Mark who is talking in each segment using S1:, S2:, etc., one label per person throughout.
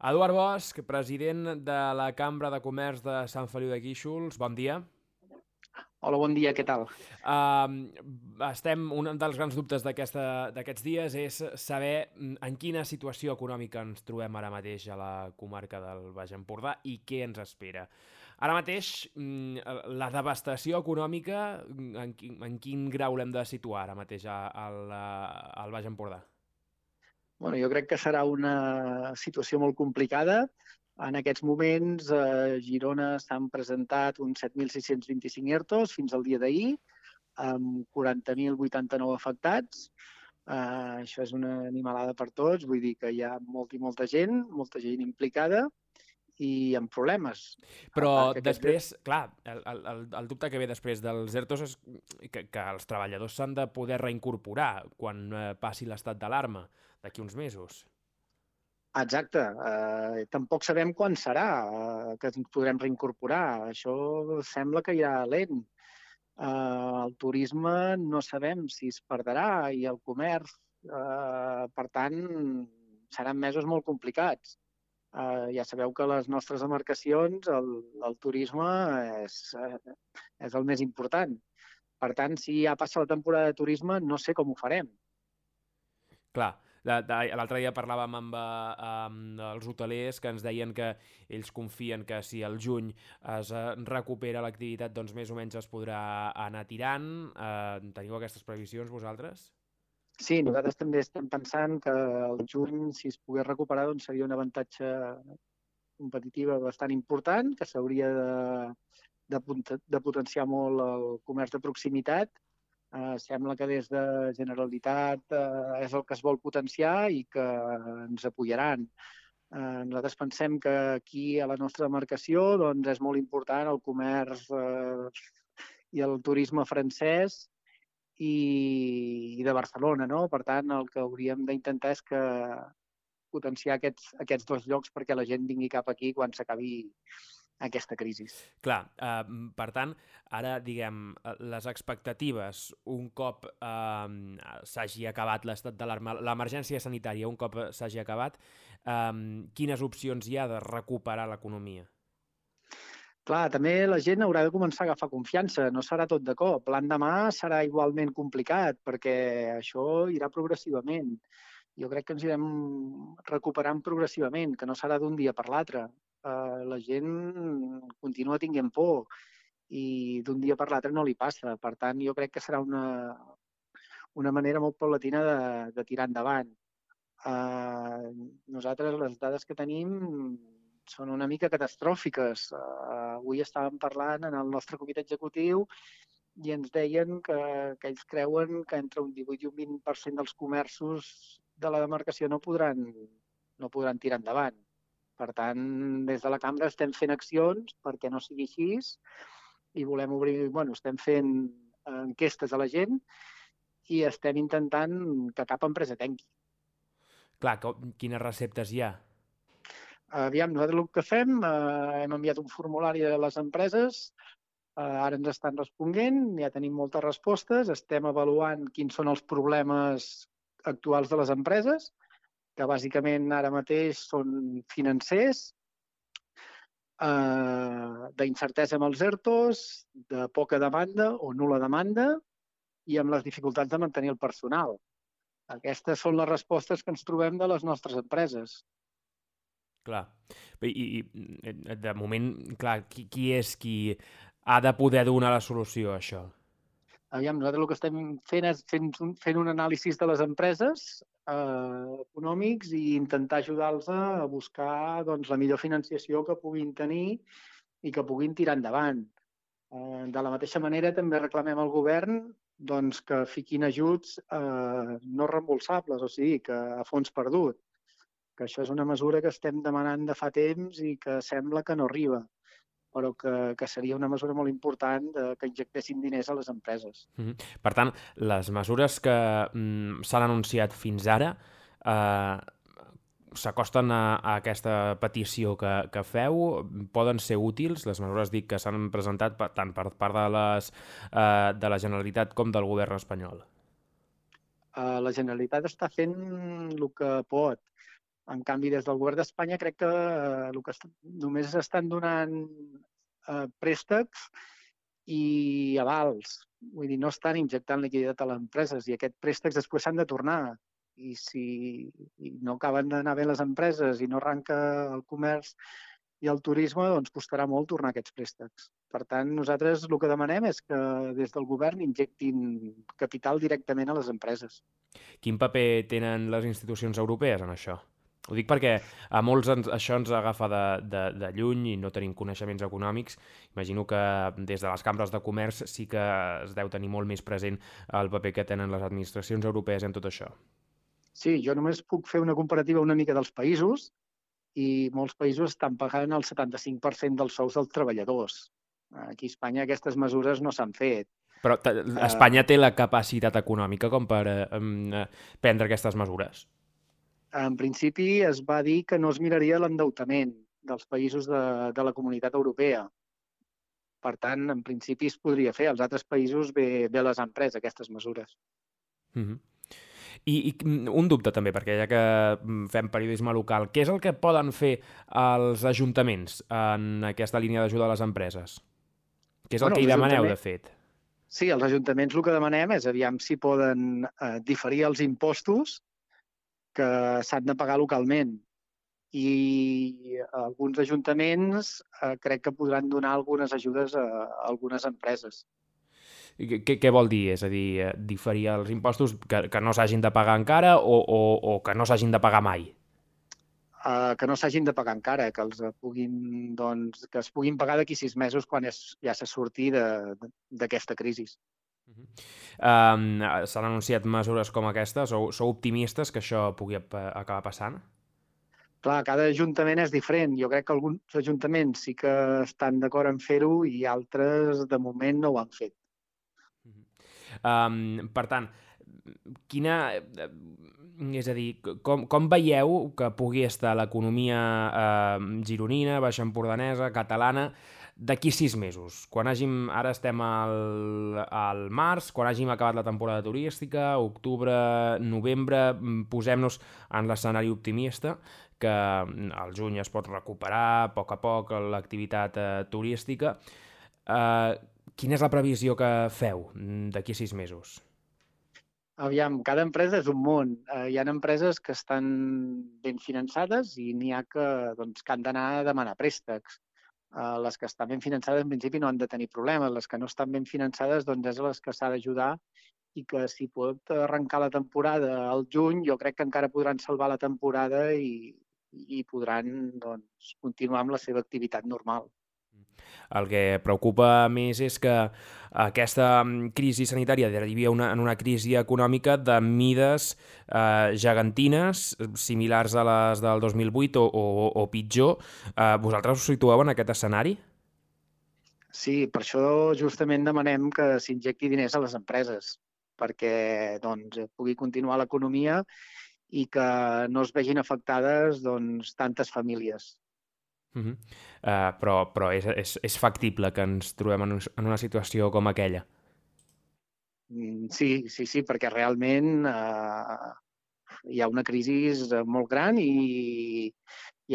S1: Eduard Bosch, president de la Cambra de Comerç de Sant Feliu de Guíxols, bon dia.
S2: Hola, bon dia, què tal?
S1: Un dels grans dubtes d'aquests dies és saber en quina situació econòmica ens trobem ara mateix a la comarca del Baix Empordà i què ens espera. Ara mateix, la devastació econòmica, en quin grau l'hem de situar ara mateix al Baix Empordà?
S2: Bueno, jo crec que serà una situació molt complicada. En aquests moments, a Girona s'han presentat uns 7.625 ERTOs fins al dia d'ahir, amb 40.089 afectats. Això és una animalada per tots, vull dir que hi ha molta gent implicada i amb problemes.
S1: Però
S2: Que aquests...
S1: després, clar, el dubte que ve després dels ERTOs és que els treballadors s'han de poder reincorporar quan passi l'estat d'alarma d'aquí uns mesos.
S2: Exacte. Tampoc sabem quan serà que ens podrem reincorporar. Això sembla que irà lent. El turisme no sabem si es perdrà i el comerç, per tant, seran mesos molt complicats. Ja sabeu que les nostres embarcacions, el turisme és el més important. Per tant, si ja passa la temporada de turisme, no sé com ho farem.
S1: Clar, l'altre dia parlàvem amb els hotelers que ens deien que ells confien que si al juny es recupera l'activitat, doncs més o menys es podrà anar tirant. Teniu aquestes previsions vosaltres?
S2: Sí, nosaltres també estem pensant que el juny, si es pogués recuperar, doncs seria un avantatge competitiva bastant important, que s'hauria de potenciar molt el comerç de proximitat. Sembla que des de Generalitat és el que es vol potenciar i que ens apoyaran. Nosaltres pensem que aquí a la nostra demarcació doncs, és molt important el comerç i el turisme francès i de Barcelona, no? Per tant, el que hauríem d'intentar és que potenciar aquests dos llocs perquè la gent vingui cap aquí quan s'acabi aquesta crisi.
S1: Clar, per tant, ara, diguem, les expectatives, un cop s'hagi acabat l'estat d'alarma, l'emergència sanitària, un cop s'hagi acabat, quines opcions hi ha de recuperar l'economia?
S2: Clar, també la gent haurà de començar a agafar confiança, no serà tot de cop. L'endemà serà igualment complicat, perquè això irà progressivament. Jo crec que ens irem recuperant progressivament, que no serà d'un dia per l'altre. La gent continua tinguent por i d'un dia per l'altre no li passa. Per tant, jo crec que serà una manera molt paulatina de tirar endavant. Nosaltres les dades que tenim són una mica catastròfiques. Avui estàvem parlant en el nostre comitè executiu i ens deien que ells creuen que entre un 18 i un 20% dels comerços de la demarcació no podran tirar endavant. Per tant, des de la cambra estem fent accions perquè no sigui així i volem obrir, estem fent enquestes a la gent i estem intentant que cap empresa tanqui.
S1: Clar, quines receptes hi ha?
S2: Aviam, nosaltres el que fem, hem enviat un formulari a les empreses, ara ens estan responent, ja tenim moltes respostes, estem avaluant quins són els problemes actuals de les empreses, que bàsicament ara mateix són financers, d'incertesa amb els ERTOs, de poca demanda o nul·la demanda i amb les dificultats de mantenir el personal. Aquestes són les respostes que ens trobem de les nostres empreses.
S1: Clar. I de moment, clar, qui és qui ha de poder donar la solució a això?
S2: Aviam, nosaltres el que estem fent és fent un anàlisi de les empreses econòmics i intentar ajudar-los a buscar doncs, la millor financiació que puguin tenir i que puguin tirar endavant. De la mateixa manera, també reclamem al govern doncs, que fiquin ajuts no reembolsables, o sigui, que a fons perdut, que això és una mesura que estem demanant de fa temps i que sembla que no arriba, però que seria una mesura molt important que injectessin diners a les empreses.
S1: Per tant, les mesures que s'han anunciat fins ara s'acosten a aquesta petició que feu, poden ser útils, les mesures dic que s'han presentat tant per part de la Generalitat com del govern espanyol?
S2: La Generalitat està fent el que pot. En canvi, des del govern d'Espanya crec que només estan donant préstecs i avals. Vull dir, no estan injectant liquiditat a les empreses i aquests préstecs després s'han de tornar. I si no acaben d'anar bé les empreses i no arranca el comerç i el turisme, doncs costarà molt tornar aquests préstecs. Per tant, nosaltres el que demanem és que des del govern injectin capital directament a les empreses.
S1: Quin paper tenen les institucions europees en això? Ho dic perquè a molts això ens agafa de lluny i no tenim coneixements econòmics. Imagino que des de les cambres de comerç sí que es deu tenir molt més present el paper que tenen les administracions europees en tot això.
S2: Sí, jo només puc fer una comparativa una mica dels països i molts països estan pagant el 75% dels sous dels treballadors. Aquí a Espanya aquestes mesures no s'han fet.
S1: Però Espanya té la capacitat econòmica com per prendre aquestes mesures?
S2: En principi es va dir que no es miraria l'endeutament dels països de la Comunitat Europea. Per tant, en principi es podria fer. Als altres països bé les han pres, aquestes mesures.
S1: I un dubte també, perquè ja que fem periodisme local, què és el que poden fer els ajuntaments en aquesta línia d'ajuda a les empreses? Què és el que hi demaneu, de fet?
S2: Sí, els ajuntaments el que demanem és aviam si poden diferir els impostos que s'han de pagar localment. I alguns ajuntaments crec que podran donar algunes ajudes a algunes empreses.
S1: Què vol dir? És a dir, diferir els impostos que no s'hagin de pagar encara o que no s'hagin de pagar mai?
S2: Que no s'hagin de pagar encara, que es puguin pagar d'aquí 6 mesos quan ja s'ha sortit d'aquesta crisi.
S1: S'han anunciat mesures com aquestes? Sou optimistes que això pugui acabar passant?
S2: Clar, cada ajuntament és diferent. Jo crec que alguns ajuntaments sí que estan d'acord en fer-ho i altres, de moment, no ho han fet.
S1: Per tant, és a dir, com veieu que pugui estar l'economia gironina, baixempordanesa, catalana, d'aquí 6 mesos? Ara estem al març, quan hàgim acabat la temporada turística, octubre, novembre, posem-nos en l'escenari optimista, que al juny es pot recuperar a poc l'activitat turística. Quina és la previsió que feu d'aquí 6 mesos?
S2: Aviam, cada empresa és un món. Hi ha empreses que estan ben finançades i n'hi ha que han d'anar a demanar préstecs. Les que estan ben finançades, en principi, no han de tenir problemes. Les que no estan ben finançades, és les que s'ha d'ajudar i que si pot arrencar la temporada al juny, jo crec que encara podran salvar la temporada i podran continuar amb la seva activitat normal.
S1: El que preocupa més és que aquesta crisi sanitària derivi en una crisi econòmica de mides gegantines, similars a les del 2008 o pitjor. Vosaltres us situeu en aquest escenari?
S2: Sí, per això justament demanem que s'injecti diners a les empreses, perquè pugui continuar l'economia i que no es vegin afectades tantes famílies.
S1: Però és factible que ens trobem en una situació com aquella?
S2: Sí, perquè realment hi ha una crisi molt gran i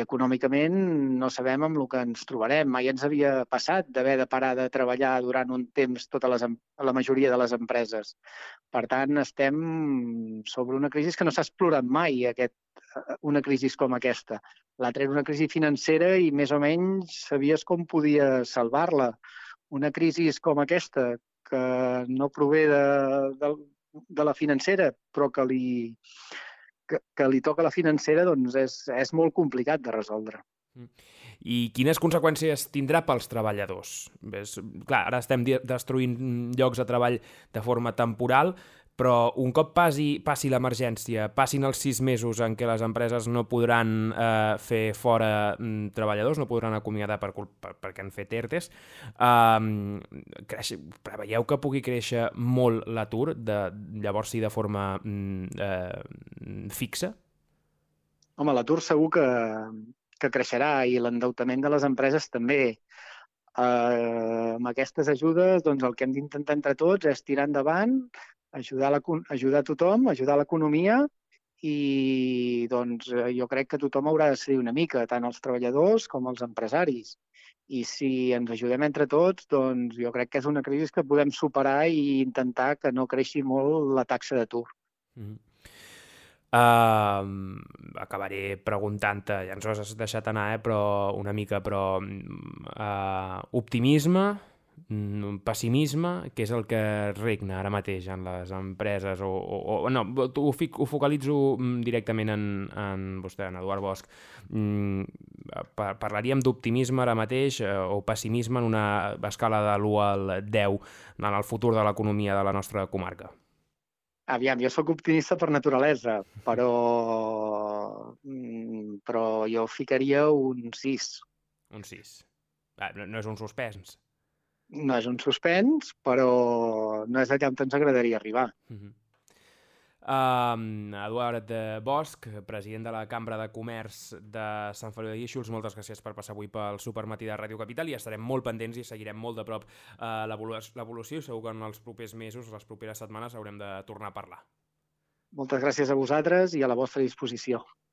S2: econòmicament no sabem amb el que ens trobarem. Mai ens havia passat d'haver de parar de treballar durant un temps la majoria de les empreses. Per tant, estem sobre una crisi que no s'ha explorat mai, una crisi com aquesta. L'altra era una crisi financera i més o menys sabies com podies salvar-la. Una crisi com aquesta, que no prové de la financera, però que li toca a la financera, és molt complicat de resoldre.
S1: I quines conseqüències tindrà pels treballadors? Clar, ara estem destruint llocs de treball de forma temporal, però un cop passi l'emergència, passin els 6 mesos en què les empreses no podran fer fora treballadors, no podran acomiadar perquè han fet ERTEs, preveieu que pugui créixer molt l'atur, llavors sí de forma fixa?
S2: Home, l'atur segur que creixerà i l'endeutament de les empreses també. Amb aquestes ajudes, el que hem d'intentar entre tots és tirar endavant, ajudar a tothom, ajudar l'economia i doncs, jo crec que tothom haurà de cedir una mica, tant els treballadors com els empresaris. I si ens ajudem entre tots, doncs jo crec que és una crisi que podem superar i intentar que no creixi molt la taxa d'atur.
S1: Acabaré preguntant-te, ja ens ho has deixat anar, però una mica, però optimisme, pessimisme, què és el que regna ara mateix en les empreses? No, ho focalitzo directament en vostè, en Eduard Bosch. Parlaríem d'optimisme ara mateix o pessimisme en una escala de l'1 al 10 en el futur de l'economia de la nostra comarca?
S2: Aviam, jo sóc optimista per naturalesa, però jo ficaria un 6.
S1: Un 6. No és un suspens.
S2: No és un suspens, però no és allà on ens agradaria arribar.
S1: Eduard Bosch, president de la Cambra de Comerç de Sant Feliu de Guíxols, moltes gràcies per passar avui pel Supermatí de Ràdio Capital i estarem molt pendents i seguirem molt de prop l'evolució i segur que en els propers mesos, les properes setmanes, haurem de tornar a parlar.
S2: Moltes gràcies a vosaltres i a la vostra disposició.